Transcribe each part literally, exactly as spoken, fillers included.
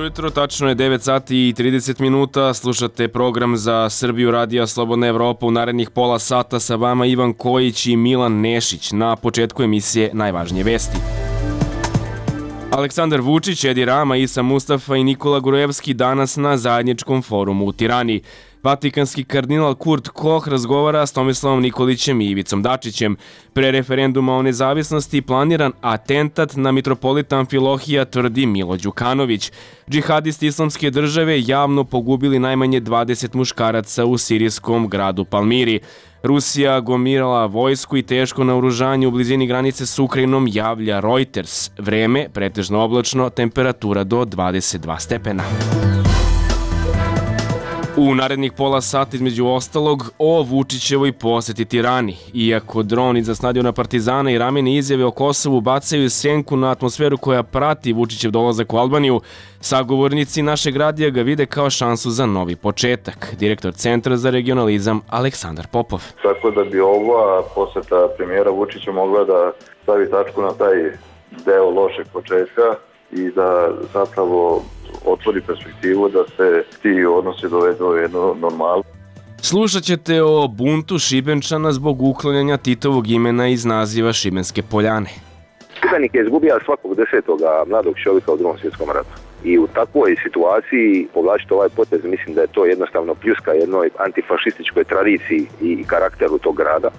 jutro, tačno je devet sati i trideset minuta, slušate program za Srbiju Radija Slobodna Evropa. U narednih pola sata sa vama Ivan Kojić i Milan Nešić. Na početku emisije najvažnije vesti. Aleksandar Vučić, Edi Rama, Isa Mustafa i Nikola Gruevski danas na zajedničkom forumu u Tirani. Vatikanski kardinal Kurt Koch razgovara s Tomislavom Nikolićem i Ivicom Dačićem. Pre referenduma o nezavisnosti planiran atentat na mitropolita Amfilohija, tvrdi Milo Đukanović. Džihadisti Islamske države javno pogubili najmanje dvadeset muškaraca u sirijskom gradu Palmiri. Rusija gomirala vojsku i teško naoružanje u blizini granice s Ukrajinom, javlja Reuters. Vreme pretežno oblačno, temperatura do dvadeset dva stepena. U narednih pola sata između ostalog o Vučićevoj poseti Tirani. Iako dron iza stadiona Partizana i ramene izjave o Kosovu bacaju senku na atmosferu koja prati Vučićev dolazak u Albaniju, sagovornici našeg radija ga vide kao šansu za novi početak. Direktor Centra za regionalizam Aleksandar Popov. Tako da bi ova poseta premijera Vučića mogla da stavi tačku na taj deo lošeg početka i da zapravo otvori perspektivu da se ti odnosi dovedu u jednu normalnu. Slušat ćete o buntu Šibenčana zbog uklanjanja Titovog imena iz naziva Šibenske Poljane. Šibenik je izgubio svakog desetog mladog čovjeka u Drugom svjetskom ratu. I u takvoj situaciji povlačiti ovaj potez, mislim da je to jednostavno pljuska jednoj antifašističkoj tradiciji i karakteru tog grada.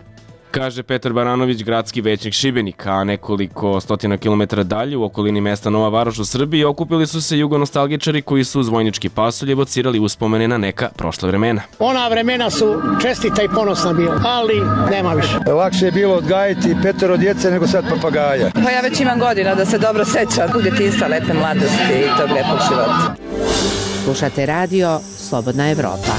Kaže Petar Baranović, gradski većnik Šibenika, a nekoliko stotina kilometara dalje u okolini mesta Nova Varoš u Srbiji okupili su se jugonostalgičari koji su uz vojnički pasulj evocirali uspomene na neka prošla vremena. Ona vremena su čestita i ponosna bila, ali nema više. Lakše je bilo odgajiti petero djece nego sad papagaja. Pa ja već imam godina da se dobro sećam u djetinjstva, lepe mladosti i tog lepog života. Slušate radio Slobodna Evropa.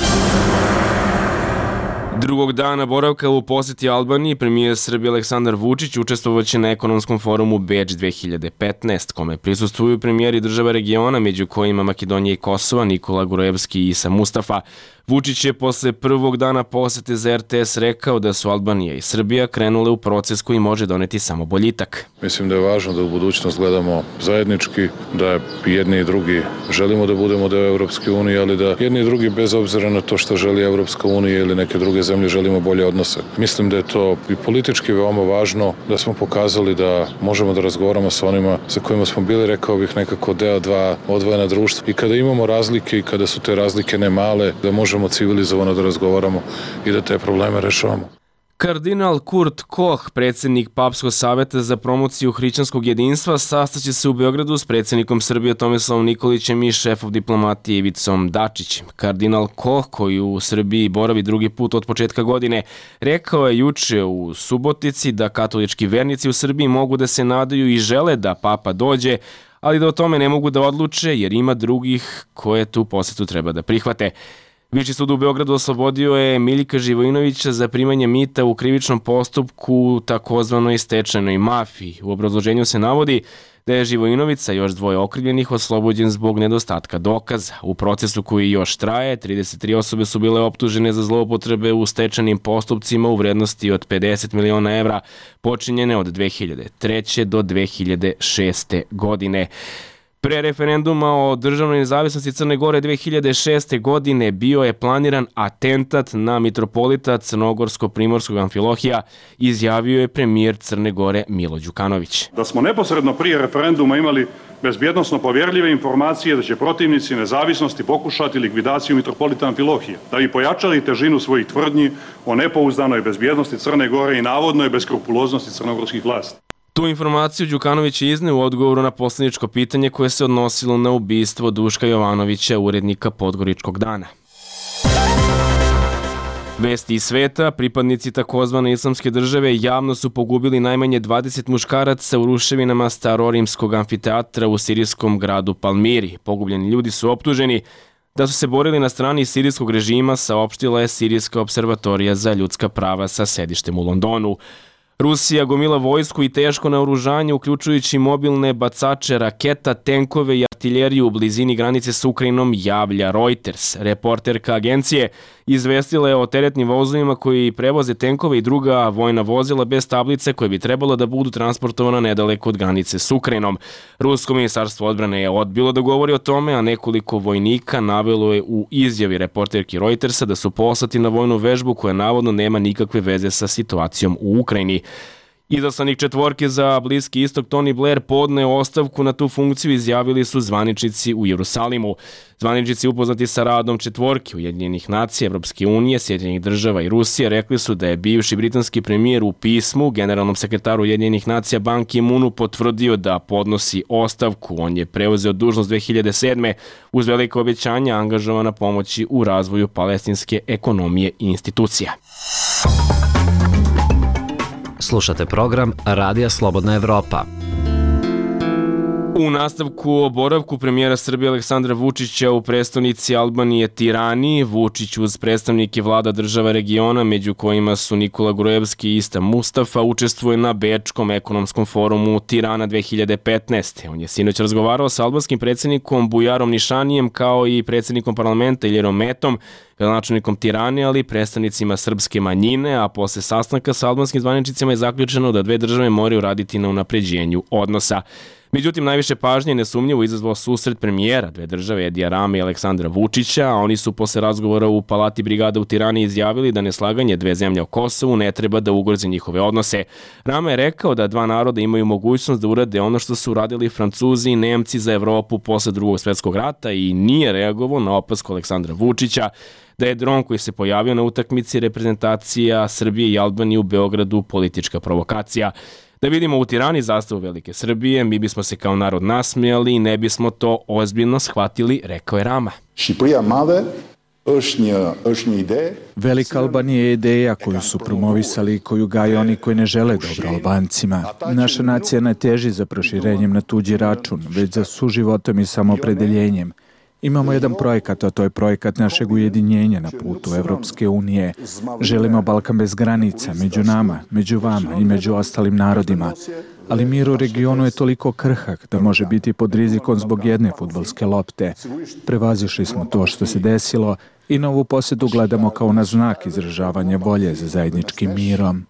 Drugog dana boravka u poseti Albaniji premijer Srbije Aleksandar Vučić učestvovaće na ekonomskom forumu Beč dve hiljade petnaest, kome prisustvuju premijeri država regiona, među kojima Makedonija i Kosova, Nikola Gruevski i Isa Mustafa. Vučić je posle prvog dana posete za er te es rekao da su Albanija i Srbija krenule u proces koji može doneti samo boljitak. Mislim da je važno da u budućnost gledamo zajednički, da jedni i drugi želimo da budemo deo Evropske unije, ali da jedni i drugi bez obzira na to što želi Evropska unija ili neke druge zemlje želimo bolje odnose. Mislim da je to i politički veoma važno, da smo pokazali da možemo da razgovaramo sa onima sa kojima smo bili, rekao bih, nekako deo dva odvojena društva. I kada imamo razlike i kada su te razlike ne male, da možemo civilizovano da razgovaramo i da te probleme rešavamo. Kardinal Kurt Koch, predsjednik Papskog saveta za promociju hrišćanskog jedinstva, sastaće se u Beogradu s predsjednikom Srbije Tomislavom Nikolićem i šefom diplomatije Ivicom Dačićem. Kardinal Koch, koji u Srbiji boravi drugi put od početka godine, rekao je juče u Subotici da katolički vernici u Srbiji mogu da se nadaju i žele da Papa dođe, ali da o tome ne mogu da odluče jer ima drugih koje tu posetu treba da prihvate. Viši sud u Beogradu oslobodio je Miljka Živojinovića za primanje mita u krivičnom postupku takozvanoj stečajnoj mafiji. U obrazloženju se navodi da je Živojinović sa još dvoje okrivljenih oslobođen zbog nedostatka dokaza. U procesu koji još traje, trideset tri osobe su bile optužene za zloupotrebe u stečajnim postupcima u vrednosti od pedeset miliona evra, počinjene od dve hiljade treće do dve hiljade šeste godine. Pre referenduma o državnoj nezavisnosti Crne Gore dve hiljade šeste godine bio je planiran atentat na mitropolita Crnogorsko-Primorskog Amfilohija, izjavio je premijer Crne Gore Milo Đukanović. Da smo neposredno prije referenduma imali bezbjednosno povjerljive informacije da će protivnici nezavisnosti pokušati likvidaciju mitropolita Amfilohija, da bi pojačali težinu svojih tvrdnji o nepouzdanoj bezbjednosti Crne Gore i navodnoj beskrupuloznosti crnogorskih vlasti. Tu informaciju Đukanović je izneo u odgovoru na poslaničko pitanje koje se odnosilo na ubistvo Duška Jovanovića, urednika Podgoričkog dana. Vesti iz sveta, pripadnici takozvane Islamske države javno su pogubili najmanje dvadeset muškaraca u ruševinama starorimskog amfiteatra u sirijskom gradu Palmiri. Pogubljeni ljudi su optuženi da su se borili na strani sirijskog režima, saopštila je Sirijska observatorija za ljudska prava sa sedištem u Londonu. Rusija gomila vojsku i teško naoružanje, uključujući mobilne bacače raketa, tenkove i artiljeriju u blizini granice s Ukrajinom, javlja Reuters. Reporterka agencije izvestila je o teretnim vozovima koji prevoze tenkove i druga vojna vozila bez tablice koje bi trebalo da budu transportovana nedaleko od granice s Ukrajinom. Rusko ministarstvo odbrane je odbilo da govori o tome, a nekoliko vojnika navelo je u izjavi reporterki Reutersa da su poslati na vojnu vežbu koja navodno nema nikakve veze sa situacijom u Ukrajini. Izaslanik četvorke za Bliski istok Tony Blair podneo ostavku na tu funkciju, izjavili su zvaničnici u Jerusalimu. Zvaničnici upoznati sa radom četvorke Ujedinjenih nacija, Evropske unije, Sjedinjenih država i Rusije rekli su da je bivši britanski premijer u pismu generalnom sekretaru Ujedinjenih nacija Ban Ki-moonu potvrdio da podnosi ostavku. On je preuzeo dužnost dve hiljade sedme uz velike obećanja angažovana pomoći u razvoju palestinske ekonomije i institucija. Slušate program Radija Slobodna Evropa. U nastavku o boravku premijera Srbije Aleksandra Vučića u prestonici Albanije Tirani, Vučić uz predstavnike vlada država regiona, među kojima su Nikola Gruevski i Ista Mustafa, učestvuje na Bečkom ekonomskom forumu Tirana dve hiljade petnaeste. On je sinoć razgovarao sa albanskim predsjednikom Bujarom Nišanijem kao i predsjednikom parlamenta Iljerom Metom, gradonačelnikom Tirane, ali i predstavnicima srpske manjine, a posle sastanka sa albanskim zvaničnicima je zaključeno da dve države moraju raditi na unapređenju odnosa. Međutim, najviše pažnje nesumnjivo izazvao susret premijera dve države Edija Rame i Aleksandra Vučića, a oni su posle razgovora u Palati brigada u Tirani izjavili da neslaganje dve zemlje o Kosovu ne treba da ugrozi njihove odnose. Rame je rekao da dva naroda imaju mogućnost da urade ono što su uradili Francuzi i Nemci za Evropu posle drugog svjetskog rata i nije reagovao na opasku Aleksandra Vučića da je dron koji se pojavio na utakmici reprezentacija Srbije i Albanije u Beogradu politička provokacija. Da vidimo u Tirani zastavu Velike Srbije, mi bismo se kao narod nasmijali i ne bismo to ozbiljno shvatili, rekao je Rama. Velika Albanija je ideja koju su promovisali i koju gaje oni koji ne žele dobro Albancima. Naša nacija ne teži za proširenjem na tuđi račun, već za suživotom i samoopredeljenjem. Imamo jedan projekat, a to je projekat našeg ujedinjenja na putu Evropske unije. Želimo Balkan bez granica, među nama, među vama i među ostalim narodima. Ali mir u regionu je toliko krhak da može biti pod rizikom zbog jedne fudbalske lopte. Prevazišli smo to što se desilo i na ovu posjetu gledamo kao na znak izražavanja volje za zajedničkim mirom.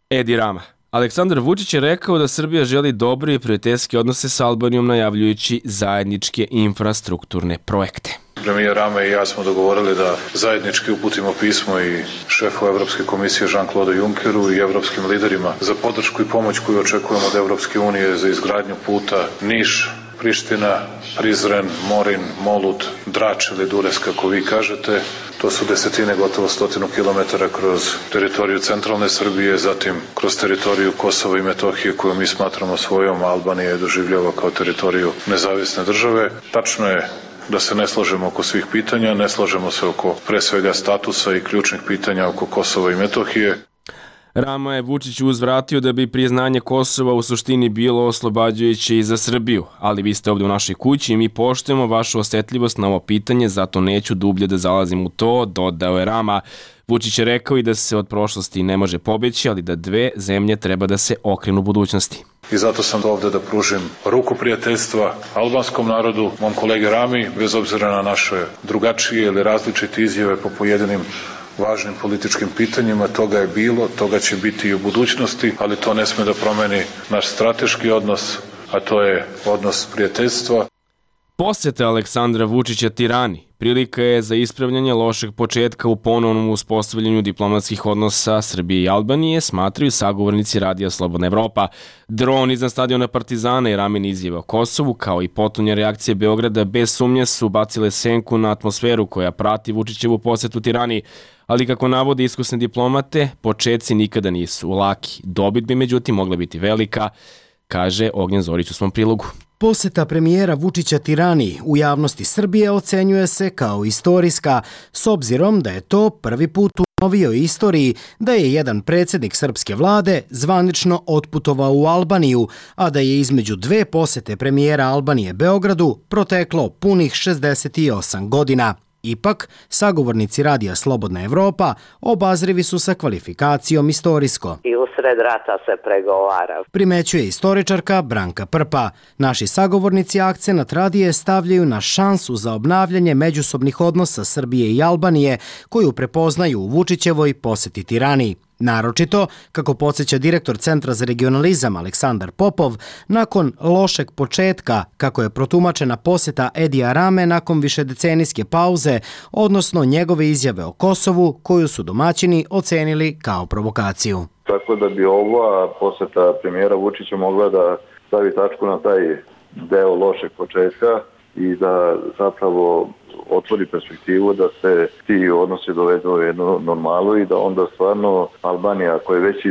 Edi Rama. Aleksandar Vučić je rekao da Srbija želi dobre i prijateljske odnose s Albanijom, najavljujući zajedničke infrastrukturne projekte. Premijer Rame i ja smo dogovorili da zajednički uputimo pismo i šefu Evropske komisije Jean-Claude Junckeru i evropskim liderima za podršku i pomoć koju očekujemo od Evropske unije za izgradnju puta Niš, Priština, Prizren, Morin, Molut, Drač ili Dures, kako vi kažete. To su desetine, gotovo stotinu kilometara kroz teritoriju centralne Srbije, zatim kroz teritoriju Kosova i Metohije koju mi smatramo svojom, a Albanija je doživljava kao teritoriju nezavisne države. Tačno je da se ne slažemo oko svih pitanja, ne slažemo se oko pre svega statusa i ključnih pitanja oko Kosova i Metohije. Rama je Vučić uzvratio da bi priznanje Kosova u suštini bilo oslobađajuće i za Srbiju, ali vi ste ovdje u našoj kući i mi poštujemo vašu osjetljivost na ovo pitanje, zato neću dublje da zalazim u to, dodao je Rama. Vučić je rekao i da se od prošlosti ne može pobeći, ali da dve zemlje treba da se okrenu budućnosti. I zato sam ovdje da pružim ruku prijateljstva albanskom narodu, mom kolegi Rami, bez obzira na naše drugačije ili različite izjave po pojedinim važnim političkim pitanjima. Toga je bilo, toga će biti i u budućnosti, ali to ne sme da promeni naš strateški odnos, a to je odnos prijateljstva. Posjeta Aleksandra Vučića Tirani prilika je za ispravljanje lošeg početka u ponovnom uspostavljanju diplomatskih odnosa Srbije i Albanije, smatraju sagovornici Radija Slobodna Evropa. Dron iznad stadiona Partizana i Ramen izjave o Kosovu, kao i potonja reakcije Beograda, bez sumnje su bacile senku na atmosferu koja prati Vučićevu posjetu Tirani. Ali kako navode iskusne diplomate, početci nikada nisu laki. Dobit bi međutim mogla biti velika, kaže Ognjen Zorić u svom prilogu. Posjeta premijera Vučića Tirani u javnosti Srbije ocenjuje se kao istorijska, s obzirom da je to prvi put u novijoj istoriji da je jedan predsjednik srpske vlade zvanično otputovao u Albaniju, a da je između dve posjete premijera Albanije Beogradu proteklo punih šezdeset osam godina. Ipak, sagovornici Radija Slobodna Evropa obazrivi su sa kvalifikacijom istorijsko. I usred rata se pregovara. Primećuje istoričarka Branka Prpa. Naši sagovornici akcenat radije stavljaju na šansu za obnavljanje međusobnih odnosa Srbije i Albanije, koju prepoznaju u Vučićevoj poseti Tirani. Naročito, kako podsjeća direktor Centra za regionalizam Aleksandar Popov, nakon lošeg početka, kako je protumačena poseta Edija Rame nakon višedecenijske pauze, odnosno njegove izjave o Kosovu, koju su domaćini ocenili kao provokaciju. Tako da bi ova poseta premijera Vučića mogla da stavi tačku na taj deo lošeg početka i da zapravo otvori perspektivu da se ti odnosi dovedu u jednu normalu i da onda stvarno Albanija, koja je već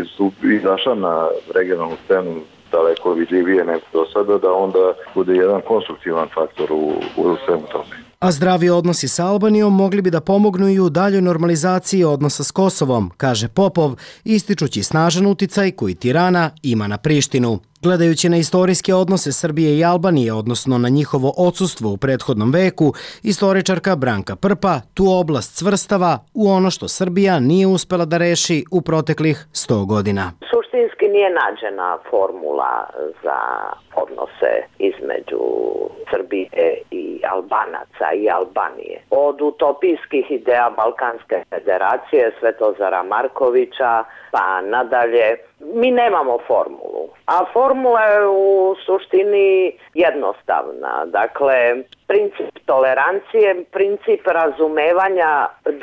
izašla na regionalnu scenu daleko vidljivije nego do sada, da onda bude jedan konstruktivan faktor u, u svemu tome. A zdravi odnosi sa Albanijom mogli bi da pomognu i u daljoj normalizaciji odnosa s Kosovom, kaže Popov, ističući snažan uticaj koji Tirana ima na Prištinu. Gledajući na istorijske odnose Srbije i Albanije, odnosno na njihovo odsustvo u prethodnom veku, istoričarka Branka Prpa tu oblast svrstava u ono što Srbija nije uspela da reši u proteklih sto godina. Suštinski nije nađena formula za odnose između Srbije i Albanaca i Albanije. Od utopijskih ideja Balkanske federacije, Svetozara Markovića, pa nadalje, mi nemamo formulu. A formula je u suštini jednostavna. Dakle, princip tolerancije, princip razumevanja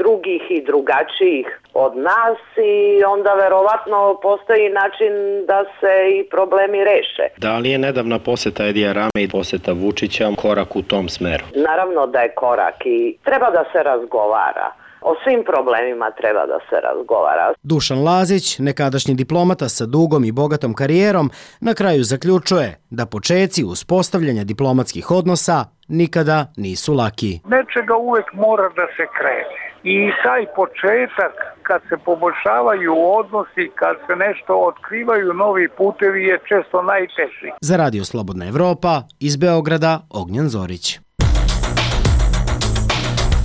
drugih i drugačijih od nas i onda verovatno postoji način da se i problemi reše. Da li je nedavna poseta Edija Rame i poseta Vučića korak u tom smeru? Naravno da je korak i treba da se razgovara. O svim problemima treba da se razgovara. Dušan Lazić, nekadašnji diplomata sa dugom i bogatom karijerom, na kraju zaključuje da počeci uspostavljanja diplomatskih odnosa nikada nisu laki. Nečega uvek mora da se krene. I taj početak, kad se poboljšavaju odnosi, kad se nešto otkrivaju novi putevi, je često najteži. Za Radio Slobodna Evropa, iz Beograda, Ognjan Zorić.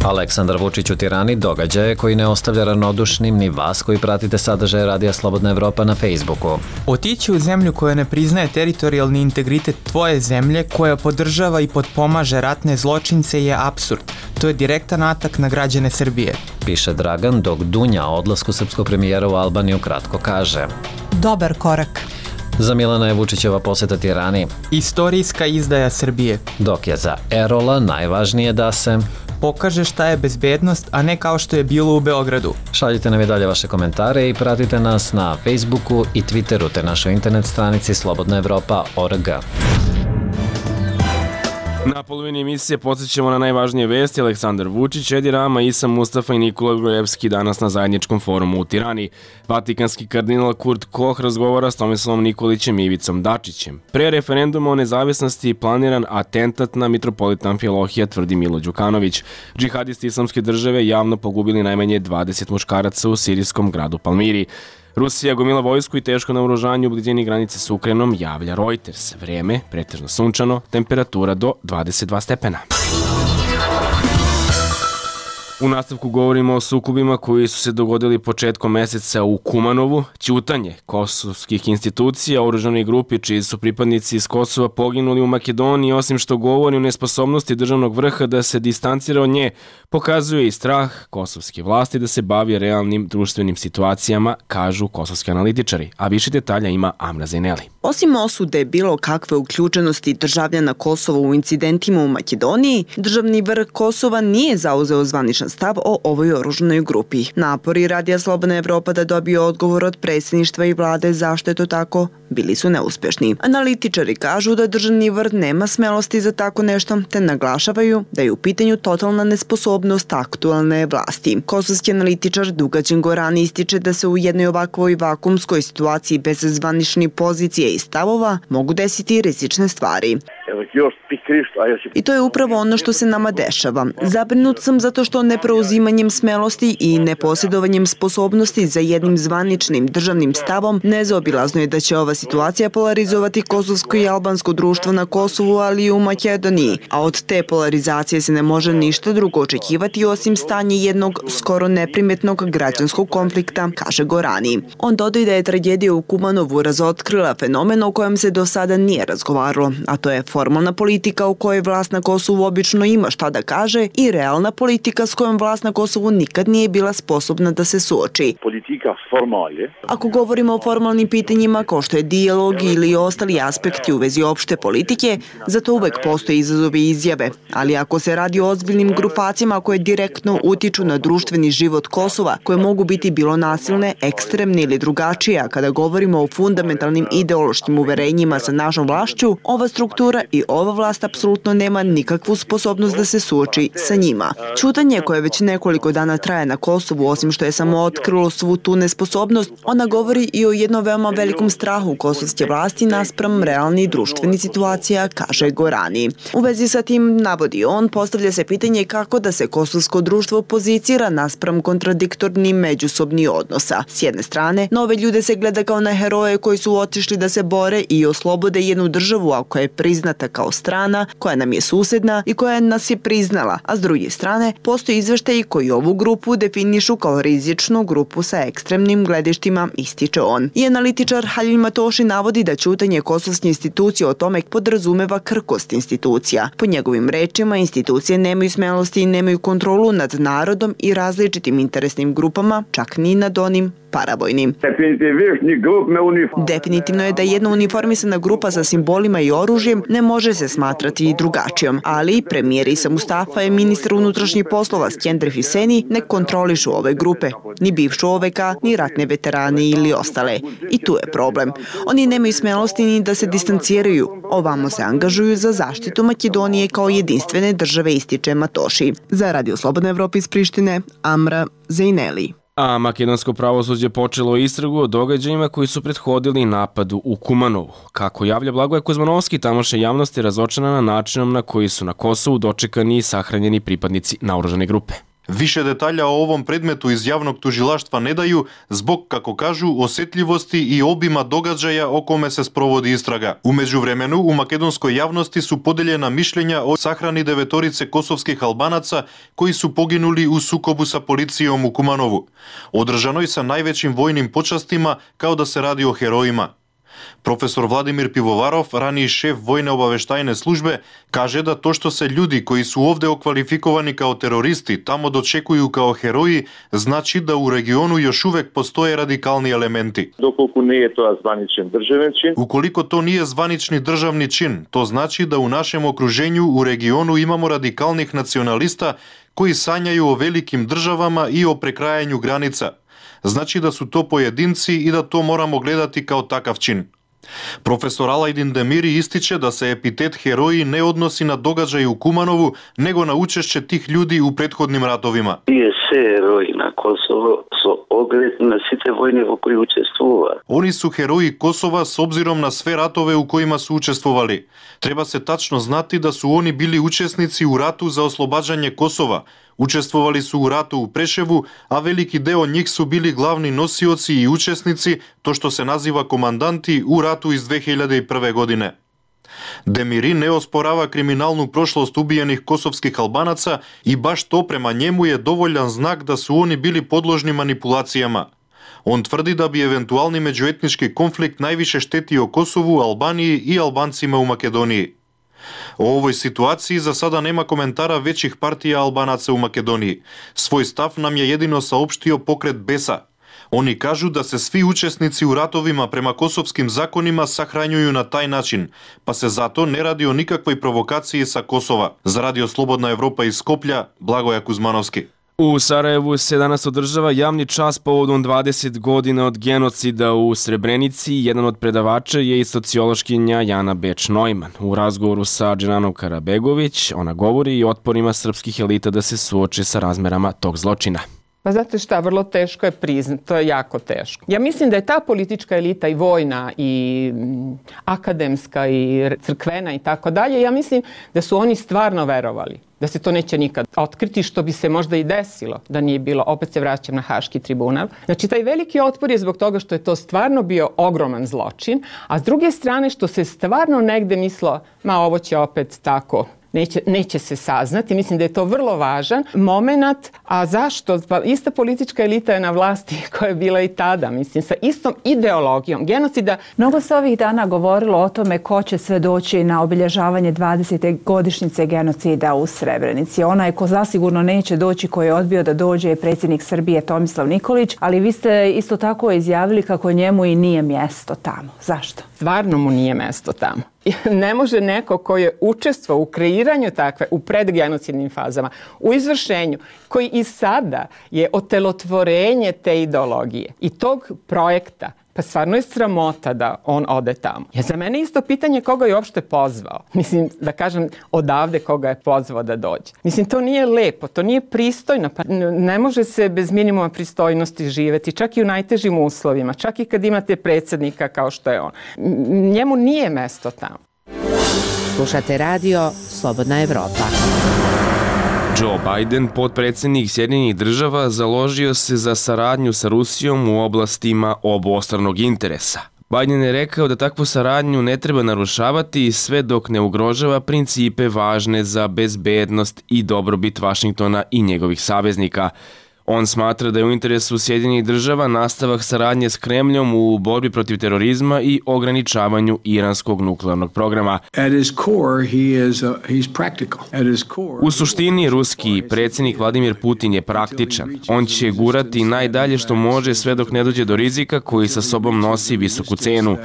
Aleksandar Vučić u Tirani događaje koji ne ostavlja ravnodušnim ni vas koji pratite sadržaje Radija Slobodna Evropa na Facebooku. Otići u zemlju koja ne priznaje teritorijalni integritet tvoje zemlje, koja podržava i potpomaže ratne zločince je apsurd. To je direktan atak na građane Srbije. Piše Dragan, dok Dunja o odlasku srpskog premijera u Albaniju kratko kaže: dobar korak. Za Milana je Vučićeva poseta Tirani istorijska izdaja Srbije. Dok je za Erola najvažnije da se pokaže šta je bezbednost, a ne kao što je bilo u Beogradu. Šaljite nam i dalje vaše komentare i pratite nas na Facebooku i Twitteru te našoj internet stranici slobodna evropa tačka org. Na polovini emisije podsjećamo na najvažnije vesti. Aleksandar Vučić, Edi Rama, Isa Mustafa i Nikola Grojevski danas na zajedničkom forumu u Tirani. Vatikanski kardinal Kurt Koch razgovara s Tomislavom Nikolićem i Ivicom Dačićem. Pre referenduma o nezavisnosti planiran atentat na mitropolita Amfilohija, tvrdi Milo Đukanović. Džihadisti islamske države javno pogubili najmanje dvadeset muškaraca u sirijskom gradu Palmiri. Rusija gomila vojsku i teško naoružanje u blizini granice s Ukrajinom, javlja Reuters. Vreme pretežno sunčano, temperatura do dvadeset dva stepena. U nastavku govorimo o sukobima koji su se dogodili početkom meseca u Kumanovu, ćutanje kosovskih institucija, oružanoj grupi čiji su pripadnici iz Kosova poginuli u Makedoniji, osim što govori o nesposobnosti državnog vrha da se distancira od nje, pokazuje i strah kosovske vlasti da se bavi realnim društvenim situacijama, kažu kosovski analitičari, a više detalja ima Amra Zeneli. Osim osude bilo kakve uključenosti državljana Kosova u incidentima u Makedoniji, državni vrh Kosova nije zauzeo zvaničan stav o ovoj oružanoj grupi. Napori Radija Slobodna Evropa da dobije odgovor od predsjedništva i vlade zašto je to tako bili su neuspješni. Analitičari kažu da državni vrh nema smelosti za tako nešto, te naglašavaju da je u pitanju totalna nesposobnost aktualne vlasti. Kosovski analitičar Dugađen Goran ističe da se u jednoj ovakvoj vakumskoj situaciji bez zvaničnih pozicije i stavova mogu desiti rizične stvari. Evo još pik I to je upravo ono što se nama dešava. Zabrinut sam zato što nepreuzimanjem smelosti i neposjedovanjem sposobnosti za jednim zvaničnim državnim stavom nezaobilazno je da će ova situacija polarizovati kosovsko i albansko društvo na Kosovu, ali i u Makedoniji, a od te polarizacije se ne može ništa drugo očekivati osim stanje jednog skoro neprimetnog građanskog konflikta, kaže Gorani. On dodaje da je tragedija u Kumanovu razotkrila fenomen o kojem se do sada nije razgovaralo, a to je formalna politika u kojoj vlast na Kosovu obično ima šta da kaže i realna politika s kojom vlast na Kosovu nikad nije bila sposobna da se suoči. Politika formalje. Ako govorimo o formalnim pitanjima kao što je dijalog ili ostali aspekti u vezi opšte politike, zato uvek postoje izazovi i izjave, ali ako se radi o ozbiljnim grupacijama koje direktno utiču na društveni život Kosova, koje mogu biti bilo nasilne, ekstremne ili drugačije, a kada govorimo o fundamentalnim ideološkim uverenjima sa našom vlašću, ova struktura i ova vlast apsolutno nema nikakvu sposobnost da se suoči sa njima. Ćutanje koje već nekoliko dana traje na Kosovu, osim što je samo otkrilo svu tu nesposobnost, ona govori i o jednom veoma velikom strahu kosovske vlasti naspram realnih društvenih situacija, kaže Gorani. U vezi sa tim, navodi on, postavlja se pitanje kako da se kosovsko društvo pozicira naspram kontradiktornih međusobnih odnosa. S jedne strane, nove ljude se gleda kao na heroje koji su otišli da se bore i oslobode jednu državu, a koja je priznata kao strana, koja nam je susedna i koja nas je priznala, a s druge strane, postoji izveštaji koji ovu grupu definišu kao rizičnu grupu sa ekstremnim gledištima, ističe on. I analitičar Halil Matoši navodi da ćutanje kosovske institucije o tome podrazumeva krkost institucija. Po njegovim rečima, institucije nemaju smelosti i nemaju kontrolu nad narodom i različitim interesnim grupama, čak ni nad onim paravojnim. Definitivno je da jedna uniformisana grupa sa simbolima i oružjem ne može se smatrati i drugačijom, ali premijer Isa Mustafa i ministar unutrašnjih poslova Skender Hüseni ne kontrolišu ove grupe, ni bivšu O V K, ni ratne veterane ili ostale. I tu je problem. Oni nemaju smelosti ni da se distanciraju, ovamo se angažuju za zaštitu Makedonije kao jedinstvene države, ističe Matoši. Za Radio Slobodna Evropa iz Prištine, Amra Zejneli. A makedonsko pravosuđe počelo istragu o događajima koji su prethodili napadu u Kumanovu. Kako javlja Blagoje Kuzmanovski, tamošnja javnost je razočarana načinom na koji su na Kosovu dočekani i sahranjeni pripadnici naoružane grupe. Više detalja o ovom predmetu iz javnog tužilaštva ne daju zbog, kako kažu, osjetljivosti i obima događaja o kome se sprovodi istraga. U međuvremenu, u makedonskoj javnosti su podeljena mišljenja o sahrani devetorice kosovskih Albanaca koji su poginuli u sukobu sa policijom u Kumanovu, održanoj sa najvećim vojnim počastima kao da se radi o herojima. Profesor Vladimir Pivovarov, raniji šef vojne obaveštajne službe, kaže da to što se ljudi koji su ovde okvalifikovani kao teroristi tamo dočekuju kao heroji, znači da u regionu još uvek postoje radikalni elementi. Dokoliko nije to zvaničan državni čin. Ukoliko to nije zvanični državni čin, to znači da u našem okruženju u regionu imamo radikalnih nacionalista koji sanjaju o velikim državama i o prekrajanju granica. Znači da su to pojedinci i da to moramo gledati kao takav čin. Profesor Alajdin Demiri ističe da se epitet heroji ne odnosi na događaj u Kumanovu, nego na učešće tih ljudi u prethodnim ratovima. Тие се heroji na Kosovo со оглед на сите војни во кои учествува. Oni su heroji Kosova s obzirom na sve ratove u kojima su učestvovali. Treba se tačno znati da su oni bili učesnici u ratu za oslobađanje Kosova. Učestvovali su u ratu u Preševu, a veliki deo njih su bili glavni nosioci i učesnici, to što se naziva komandanti, u ratu iz dve hiljade prve. godine. Demiri ne osporava kriminalnu prošlost ubijenih kosovskih Albanaca i baš to prema njemu je dovoljan znak da su oni bili podložni manipulacijama. On tvrdi da bi eventualni međuetnički konflikt najviše štetio Kosovu, Albaniji i Albancima u Makedoniji. O ovoj situaciji za sada nema komentara većih partija Albanaca u Makedoniji. Svoj stav nam je jedino saopštio pokret Besa. Oni kažu da se svi učesnici u ratovima prema kosovskim zakonima sahranjuju na taj način, pa se zato ne radi o nikakvoj provokaciji sa Kosova. Za Radio Slobodna Evropa iz Skoplja, Blagoje Kuzmanovski. U Sarajevu se danas održava javni čas povodom dvadeset godina od genocida u Srebrenici. Jedan od predavača je i sociološkinja Jana Beč-Neumann. U razgovoru sa Dženanom Karabegović ona govori i o otporima srpskih elita da se suoče sa razmerama tog zločina. Pa znate šta, vrlo teško je priznat, to je jako teško. Ja mislim da je ta politička elita i vojna i akademska i crkvena i tako dalje, ja mislim da su oni stvarno verovali da se to neće nikad otkriti, što bi se možda i desilo da nije bilo, opet se vraćam na Haški tribunal. Znači taj veliki otpor je zbog toga što je to stvarno bio ogroman zločin, a s druge strane što se stvarno negde mislo, ma ovo će opet tako, Neće, neće se saznati. Mislim da je to vrlo važan moment. A zašto? Pa ista politička elita je na vlasti koja je bila i tada, mislim, sa istom ideologijom genocida. Mnogo se ovih dana govorilo o tome ko će sve doći na obilježavanje dvadesete godišnjice genocida u Srebrenici. Onaj ko zasigurno neće doći, koji je odbio da dođe, je predsjednik Srbije Tomislav Nikolić, ali vi ste isto tako izjavili kako njemu i nije mjesto tamo. Zašto? Stvarno mu nije mjesto tamo. Ne može neko koji je učestvovao u kreiranju takve, u predgenocidnim fazama, u izvršenju, koji i sada je otelotvorenje te ideologije i tog projekta, pa stvarno je sramota da on ode tamo. Je za mene isto pitanje koga je uopšte pozvao. Mislim, da kažem, odavde koga je pozvao da dođe. Mislim, to nije lepo, to nije pristojno. Pa ne može se bez minimuma pristojnosti živeti, čak i u najtežim uslovima, čak i kad imate predsjednika kao što je on. Njemu nije mesto tamo. Slušate radio Slobodna Evropa. Joe Biden, potpredsjednik Sjedinjenih država, založio se za saradnju sa Rusijom u oblastima obostranog interesa. Biden je rekao da takvu saradnju ne treba narušavati sve dok ne ugrožava principe važne za bezbednost i dobrobit Vašingtona i njegovih saveznika. On smatra da je u interesu Sjedinjenih država nastavak saradnje s Kremljom u borbi protiv terorizma i ograničavanju iranskog nuklearnog programa. U suštini, ruski predsjednik Vladimir Putin je praktičan. On će gurati najdalje što može sve dok ne dođe do rizika koji sa sobom nosi visoku cenu.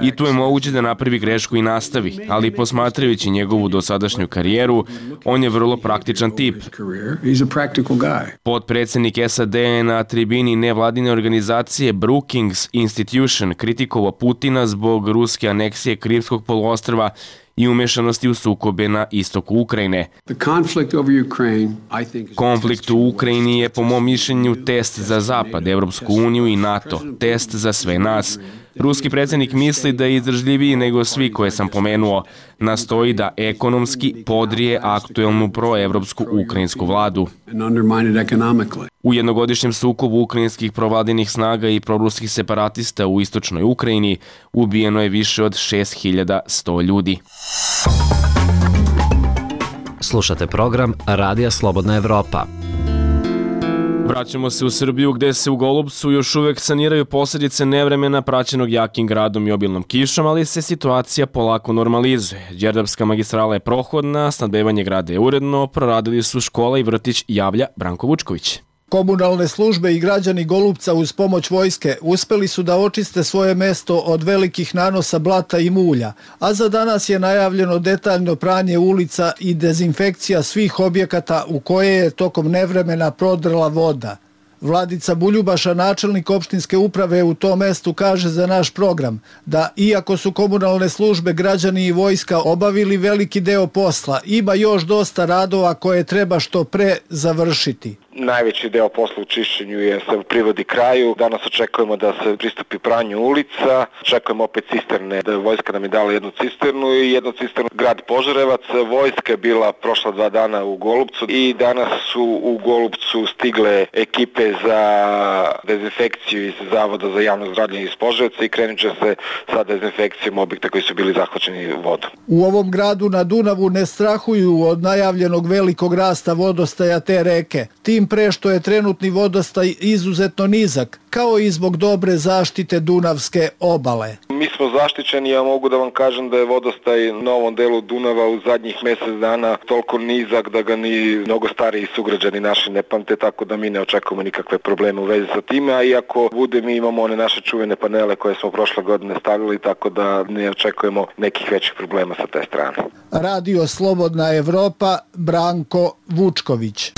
I tu je moguće da napravi grešku i nastavi, ali posmatrajući njegovu dosadašnju karijeru, on je vrlo praktičan tip. Potpredsjednik S A D je na tribini nevladine organizacije Brookings Institution kritikovao Putina zbog ruske aneksije Krimskog poluostrva i umešanosti u sukobe na istoku Ukrajine. Konflikt u Ukrajini je po mom mišljenju test za Zapad, Evropsku uniju i NATO, test za sve nas. Ruski predsjednik misli da je izdržljiviji nego svi koje sam pomenuo. Nastoji da ekonomski podrije aktuelnu proevropsku ukrajinsku vladu. U jednogodišnjem sukobu ukrajinskih provladinih snaga i proruskih separatista u istočnoj Ukrajini ubijeno je više od šest hiljada sto ljudi. Slušate program Radija Slobodna Evropa. Vraćamo se u Srbiju gde se u Golubcu još uvek saniraju posljedice nevremena praćenog jakim gradom i obilnom kišom, ali se situacija polako normalizuje. Đerdapska magistrala je prohodna, snabdevanje grada je uredno, proradili su škola i vrtić, javlja Branko Vučković. Komunalne službe i građani Golubca uz pomoć vojske uspeli su da očiste svoje mesto od velikih nanosa blata i mulja, a za danas je najavljeno detaljno pranje ulica i dezinfekcija svih objekata u koje je tokom nevremena prodrla voda. Vladica Buljubaša, načelnik opštinske uprave u tom mestu, kaže za naš program da iako su komunalne službe, građani i vojska obavili veliki deo posla, ima još dosta radova koje treba što pre završiti. Najveći deo posla u čišćenju je se privodi kraju. Danas očekujemo da se pristupi pranju ulica. Očekujemo opet cisterne. Da vojska nam je dala jednu cisternu i jednu cisternu grad Požarevac. Vojska je bila prošla dva dana u Golubcu i danas su u Golubcu stigle ekipe za dezinfekciju iz Zavoda za javno zdravlje iz Požarevca i krenut će se sa dezinfekcijom objekta koji su bili zahvaćeni vodom. U ovom gradu na Dunavu ne strahuju od najavljenog velikog rasta vodostaja te reke. Tim pre što je trenutni vodostaj izuzetno nizak, kao i zbog dobre zaštite Dunavske obale. Mi smo zaštićeni, ja mogu da vam kažem da je vodostaj na ovom delu Dunava u zadnjih mjesec dana toliko nizak da ga ni mnogo stariji sugrađani naši ne pamte, tako da mi ne očekujemo nikakve probleme u vezi sa time, a iako bude, mi imamo one naše čuvene panele koje smo prošle godine stavili, tako da ne očekujemo nekih većih problema sa te strane. Radio Slobodna Evropa, Branko Vučković.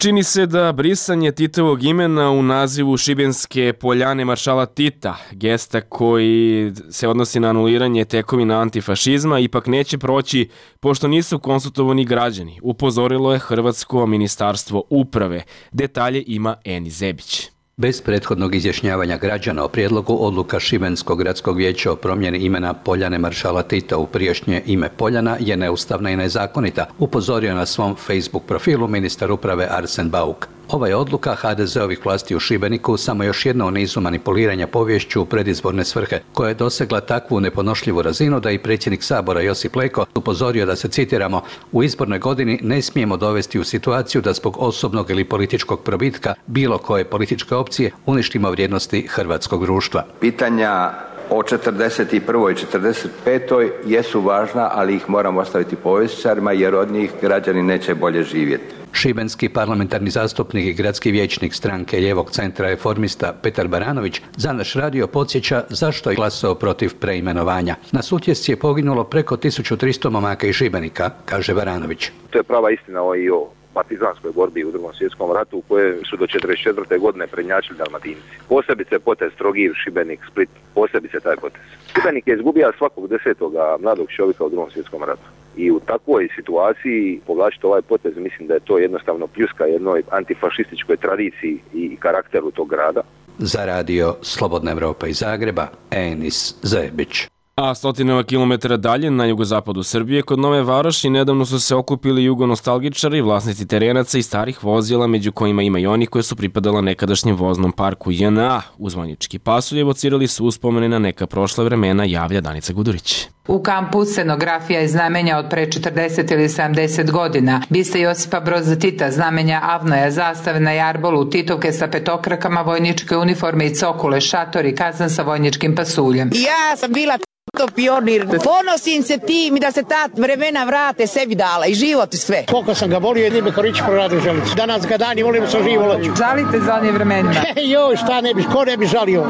Čini se da brisanje Titovog imena u nazivu Šibenske poljane maršala Tita, gesta koji se odnosi na anuliranje tekovina antifašizma, ipak neće proći pošto nisu konsultovani građani, upozorilo je Hrvatsko ministarstvo uprave. Detalje ima Eni Zebić. Bez prethodnog izjašnjavanja građana o prijedlogu odluka Šibenskog gradskog vijeća o promjeni imena Poljane maršala Tita u prijašnje ime Poljana je neustavna i nezakonita, upozorio na svom Facebook profilu ministar uprave Arsen Bauk. Ova je odluka ha de zeovih vlasti u Šibeniku samo još jedna u nizu manipuliranja poviješću u predizborne svrhe, koja je dosegla takvu neponošljivu razinu da i predsjednik Sabora Josip Leko upozorio da se, citiramo, u izbornoj godini ne smijemo dovesti u situaciju da zbog osobnog ili političkog probitka bilo koje političke opcije uništimo vrijednosti hrvatskog društva. Pitanja o četrdeset prvoj i četrdeset petoj jesu važna, ali ih moramo ostaviti povjesničarima jer od njih građani neće bolje živjeti. Šibenski parlamentarni zastupnik i gradski vijećnik stranke Lijevog centra reformista Petar Baranović za naš radio podsjeća zašto je glasao protiv preimenovanja. Na Sutjesci je poginulo preko tisuću tristo momaka iz Šibenika, kaže Baranović. To je prava istina i o partizanskoj borbi u Drugom svjetskom ratu u kojoj su do četrdeset četvrte godine prednjačili Dalmatinci. Posebice potez Trogir, Šibenik, Split, posebice taj potez. Šibenik je izgubio svakog desetoga mladog čovjeka u Drugom svjetskom ratu. I u takvoj situaciji povlačiti ovaj potez, mislim da je to jednostavno pljuska jednoj antifašističkoj tradiciji i karakteru tog grada. Za radio Slobodna Evropa iz Zagreba, Enis Zebić. A stotinama kilometara dalje na jugozapadu Srbije kod Nove Varoši nedavno su se okupili jugonostalgičari, vlasnici terenaca i starih vozila, među kojima ima i oni koje su pripadala nekadašnjem voznom parku J N A. Uz Vanjički pasulj evocirali su uspomene na neka prošla vremena, javlja Danica Gudurić. U kampu scenografija je znamenja od pre četrdeset ili sedamdeset godina. Biste Josipa Broza Tita, znamenja Avnoja, zastave na jarbolu, Titovke sa petokrakama, vojničke uniforme i cokule, šatori, kazan sa vojničkim pasuljem. Ja sam bila to pionir. Ponosim se tim i da se ta vremena vrate sebi dala i život i sve. Koliko sam ga volio, jedni me Korić proradio želicu. Danas ga dani volimo sa živo loću. Žalite za onim vremenima? Joj, šta ne bi, ko ne bi žalio.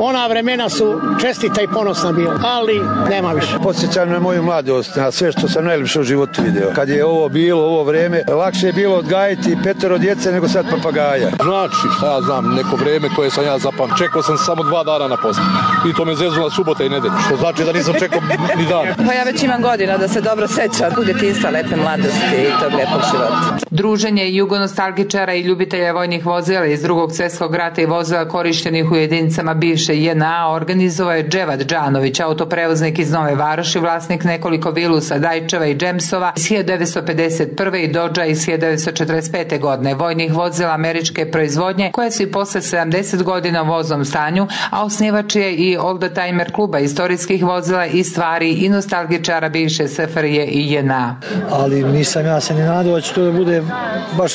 Ona vremena su čestita i ponosna bila, ali nema više. Podsjećam na moju mladost, na sve što sam najljepše u životu video. Kad je ovo bilo, ovo vreme, lakše je bilo odgajiti petero djece nego sad papagaja. Znači, šta ja znam, neko vreme koje sam ja zapam, čekao sam samo dva dana na poslu. I to me zezula subota i nedelja, što znači da nisam čekao ni dan. Pa ja već imam godina da se dobro sećam u djetinjstva, lepe mladosti i tog lepog života. Druženje jugonostalgičara i ljubitelja vojnih vozila iz Drugog svjetskog rata i vozila korištenih u jedinicama bivše J N A organizovao je Dževad Džanović, autoprevoznik iz Nove Varoši, vlasnik nekoliko Vilusa, Dajčeva i Džemsova iz hiljadu devetsto pedeset prve i Dodža iz hiljadu devetsto četrdeset pete godine, vojnih vozila američke proizvodnje koje su i posle sedamdeset godina u voznom stanju, a osnivač je i Oldtimer kluba istorijskih vozila i stvari i nostalgičara bivše S F R J i J N A. Ali nisam ja se ni nadao da će to da bude baš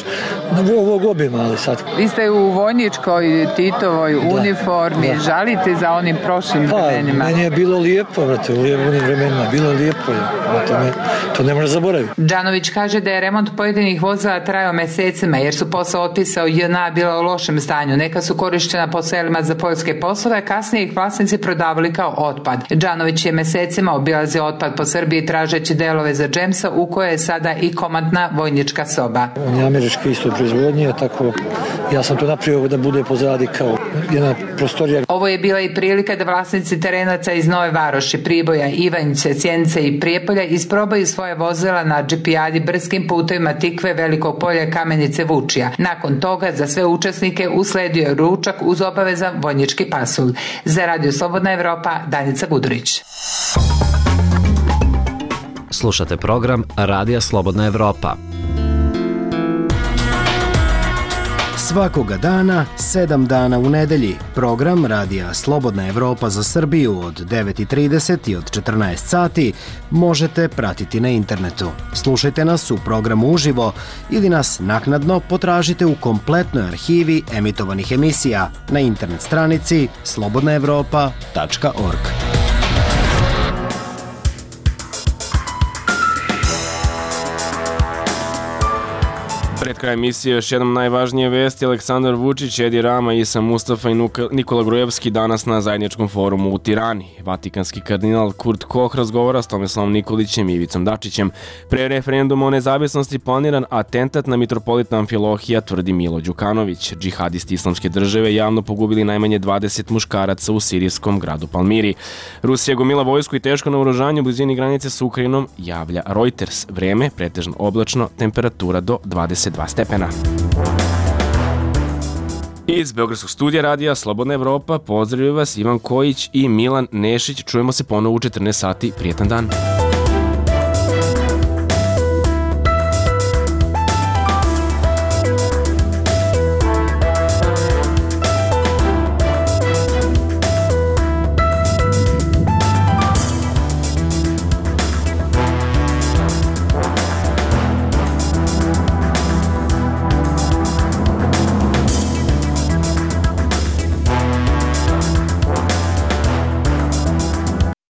ovog obima, ali sad. Vi ste u vojničkoj Titovoj uniformi, da. Žalite za onim prošlim pa, vremenima? Meni je bilo lijepo, vrate, u onim vremenima, bilo lijepo je, to, me, to ne može zaboraviti. Džanović kaže da je remont pojedinih vozila trajao mesecima, jer su posle otpisa u J N A bila u lošem stanju. Neka su korišćena po selima za poljske poslove, a kasnije ih vlasnici prodavali kao otpad. Džanović je mesecima obilazio otpad po Srbiji tražeći delove za Džemsa, u kojoj je sada i komandna vojnička soba. On je američki isto proizvodnje, tako ja sam to napravio da bude pozadi kao jedna prostorija. Ovo je bila i prilika da vlasnici terenaca iz Nove Varoši, Priboja, Ivanjice, Sjenice i Prijepolja isprobaju svoje vozila na džipijadi brskim putovima Tikve, Velikog Polja, Kamenice, Vučija. Nakon toga za sve učesnike usledio je ručak uz obavezan vojnički pasulj. Za Radio Slobodna Evropa, Danica Gudurić. Slušate program Radija Slobodna Evropa. Svakoga dana, sedam dana u nedelji, program Radija Slobodna Evropa za Srbiju od devet i trideset i od četrnaest sati možete pratiti na internetu. Slušajte nas u programu uživo ili nas naknadno potražite u kompletnoj arhivi emitovanih emisija na internet stranici slobodna evropa tačka org. Pred kraj emisije još jednom najvažnije vesti. Aleksandar Vučić, Edi Rama, Isa Mustafa i Nikola Grujevski danas na zajedničkom forumu u Tirani. Vatikanski kardinal Kurt Koch razgovara s Tomislavom Nikolićem i Ivicom Dačićem. Pre referenduma o nezavisnosti planiran atentat na mitropolita Amfilohija, tvrdi Milo Đukanović. Džihadisti Islamske države javno pogubili najmanje dvadeset muškaraca u sirijskom gradu Palmiri. Rusija gomila vojsku i teško naoružanje u blizini granice s Ukrajinom, javlja Reuters. Vreme pretežno oblačno, temperatura do dvadeset dva stepena. Iz Beogradskog studija radija Slobodna Evropa pozdravljaju vas Ivan Kojić i Milan Nešić. Čujemo se ponovo u četrnaest sati. Prijetan dan.